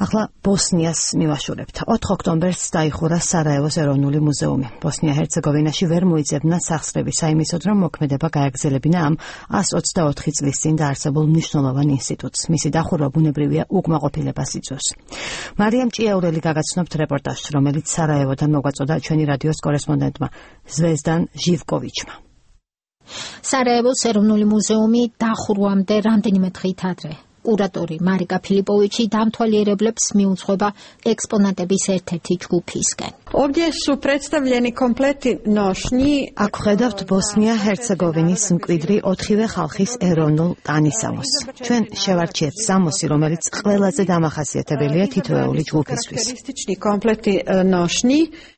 ახლა ბოსნიას მივაშურებთ. 4 ოქტომბერს დაიხურა სარაევოს ეროვნული მუზეუმი. ბოსნია-ჰერცეგოვინაში ვერ მოიძებნა სახსრები საიმისოდ, რომ მოქმედება გააგრძელებინა ამ 124 წლის წინ დაარსებულ მნიშვნელოვან ინსტიტუტს. მისი დახურვა ბუნებრივია უკმაყოფილებას იწვევს. მარიამ ჭიაურელი გაგაცნობთ რეპორტაჟს, რომელიც სარაევოდან მოგვაწოდა ჩვენი რადიოს კორესპონდენტმა ზვეზდან ჟივკოვიჩმა. სარაევოს ეროვნული მუზეუმი დახურვამდე რამდენიმე დღით ადრე. კურატორი მარიკა ფილიპოვიჩი დამთვალიერებლებს მიუძღვება ექსპონატების ერთ-ერთი ჯგუფისკენ. აქ ხედავთ ბოსნია-ჰერცეგოვინის მკვიდრი 4-ვე ხალხის ეროვნულ ტანისამოსს. ჩვენ შევარჩიეთ სამოსი, რომელიც ყველაზე დამახასიათებელია თითოეული ჯგუფისთვის.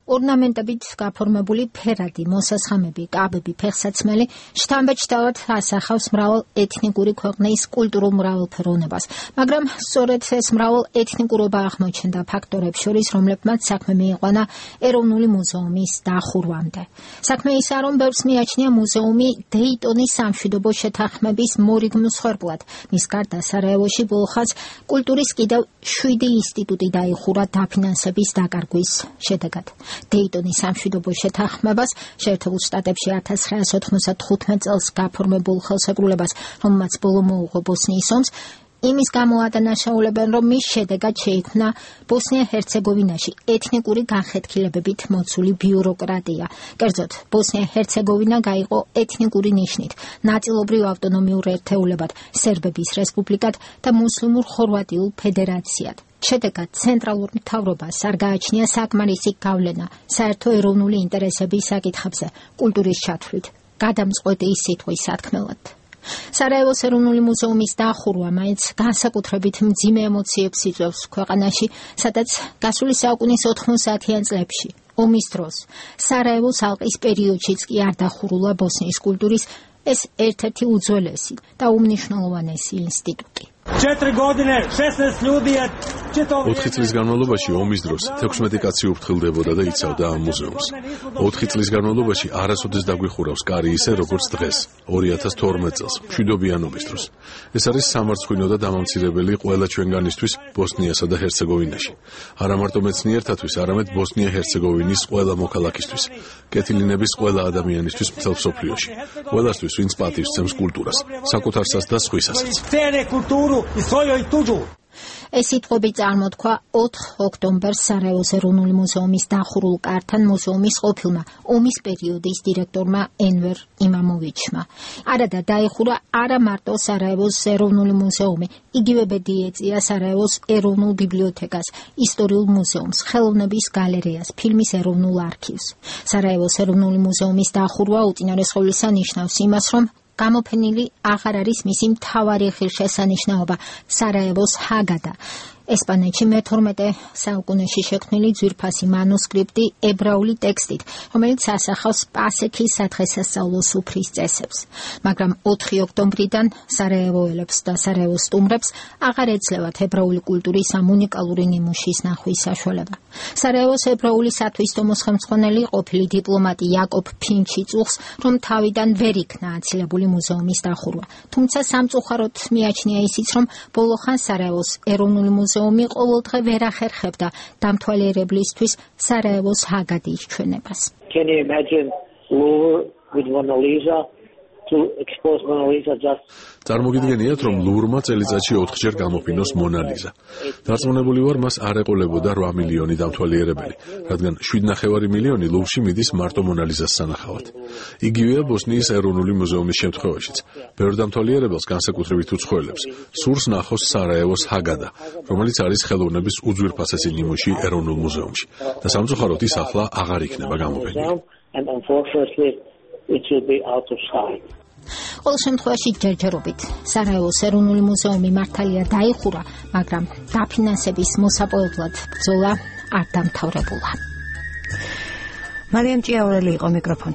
ორნამენტებით გაფორმებული ფერადი, მოსასხამები, კაბები, ფეხსაცმელი შთამბეჭდავად ასახავს მრავალ ეთნიკური ქვეყნის კულტურულ მრავალფეროვნებას, მაგრამ სწორედ ეს მრავალ ეთნიკურობა აღმოჩნდა ფაქტორებს შორის, რომლებმაც საქმე მიიყვანა ეროვნული მუზეუმის დახურვამდე. საქმე ისაა, რომ ბევრს მიაჩნია მუზეუმი დეიტონის სამშვიდობო შეთანხმების მორიგმ მსხვერპლად. მის გარდა სარაევოში ბოლოხაც კულტურის კიდევ 7 ინსტიტუტი დაიხურა დაფინანსების დაკარგვის შედეგად. დეიტონის სამშვიდობო შეთანხმებას შეერთებულ შტატებში 1995 წელს გაფორმებულ ხელსაკრულებას, რომელმაც ბოლო მოუღო ბოსნიის ომს, იმის გამო ადანაშაულებენ, რომ მის შედეგად შეიქმნა ბოსნია-ჰერცეგოვინაში ეთნიკური განხეთქილებებით მოცული ბიუროკრატია. კერძოდ, ბოსნია-ჰერცეგოვინა გაიყო ეთნიკური ნიშნით, ნაწილობრივ ავტონომიურ ერთეულებად, სერბების რესპუბლიკად და მუსლიმურ ხორვატიულ ფედერაციად. შედეგად ცენტრალურ მთავრობას არ გააჩნია საკმარისი გავლენა საერთო ეროვნული ინტერესების საკითხებზე, კულტურის ჩათვლით, გადამწყვეტი სიტყვის სათქმელად. სარაევოს ეროვნული მუზეუმის დახურვა მაინც განსაკუთრებით მძიმე ემოციებს იწვევს ქვეყანაში, სადაც გასული საუკუნის 90-იან წლებში, ომის დროს, სარაევოს ალყის პერიოდშიც კი არ დახურულა ბოსნიის კულტურის ეს ერთ-ერთი უძველესი და უმნიშვნელოვანესი ინსტიტუტი. 4 წლის განმავლობაში ომის დროს 16 კაცი უფრთხილდებოდა და იცავდა ამ მუზეუმს. 4 წლის განმავლობაში არასოდეს დაგვიხურავს კარი ისე, როგორც დღეს, 2012 წელს, მშვიდობიანობის დროს. ეს არის სამარცხვინო და დამამცირებელი ყველა ჩვენგანისთვის ბოსნიასა და ჰერცეგოვინაში. არა მარტო მეცნიერთათვის, არამედ ბოსნია-ჰერცეგოვინის ყველა მოქალაქისთვის, კეთილინების ყველა ადამიანისთვის მთელ მსოფლიოში. ყველასთვის, ვინც პატივს სცემს კულტურას, საკუთარსაც და სხვისასაც. ეს სიტყვები წარმოთქვა 4 ოქტომბერს სარაევოს ეროვნული მუზეუმის დახურულ კართან მუზეუმის ყოფილმა ომის პერიოდის დირექტორმა ენვერ იმამოვიჩმა. არადა დაიხურა არა მარტო სარაევოს ეროვნული მუზეუმი, იგივე ბედი ეწია სარაევოს ეროვნულ ბიბლიოთეკას, ისტორიულ მუზეუმს, ხელოვნების გალერეას, ფილმის ეროვნულ არქივს. სარაევოს ეროვნული მუზეუმის დახურვა უწინარესხულისა ნიშნავს იმას, რომ გამოფენილი აღარ არის მისი მთავარი ღირსშესანიშნაობა, სარაევოს ჰაგადა. ესპანეთში მე-12 საუკუნეში შექმნილი ძვირფასი მანუსკრიპტი ებრაული ტექსტით, რომელიც ასახავს პასექის სადღესასწაულო სუფრის წესებს. მაგრამ 4 ოქტომბრიდან სარაევოელებს და სარაევოს სტუმრებს აღარ ეძლევათ ებრაული კულტურის ამ უნიკალური ნიმუშის ნახვის საშუალება. სარაევოს ებრაული სათვისტომოს ხელმძღვანელი ყოფილი დიპლომატი იაკობ ფინჩი წუხს, რომ თავიდან ვერ იქნა აცილებული მუზეუმის დახურვა. თუმცა სამწუხაროდ მიაჩნია ისიც, რომ ბოლოხან სარაევოს ეროვნული მუზეუმი ყოველდღე ვერ ახერხებდა დამთვალიერებლისთვის სარაევოს ჰაგადის ჩვენებას. Can you imagine Louvre with Mona Lisa to expose Mona Lisa just წარმოგიდგენიათ, რომ ლურმა წელიწადში 4-ჯერ გამოფინოს მონა ლიზა. დარწმუნებული ვარ, მას არ ეყოლებოდა 8 მილიონი დამთვალიერებელი, რადგან 7,5 მილიონი ლურში მიდის მარტო მონა ლიზას სანახავად. იგივეა ბოსნიის ეროვნული მუზეუმის შემთხვევაშიც. ბევრ დამთვალიერებელს, განსაკუთრებით უცხოელებს, სურს ნახოს სარაევოს ჰაგადა, რომელიც არის ხელოვნების უძვირფასესი ნიმუში ეროვნულ მუზეუმში. და სამწუხაროდ ის ახლა აღარ იქნება გამოფენილი. ყოველ შემთხვევაში ჯერჯერობით სარაევოს ეროვნული მუზეუმი მართალია დაიხურა, მაგრამ დაფინანსების მოსაპოვებლად ბრძოლა არ დამთავრებულა. მარიამ ჭიაურელი იყო მიკროფონთან.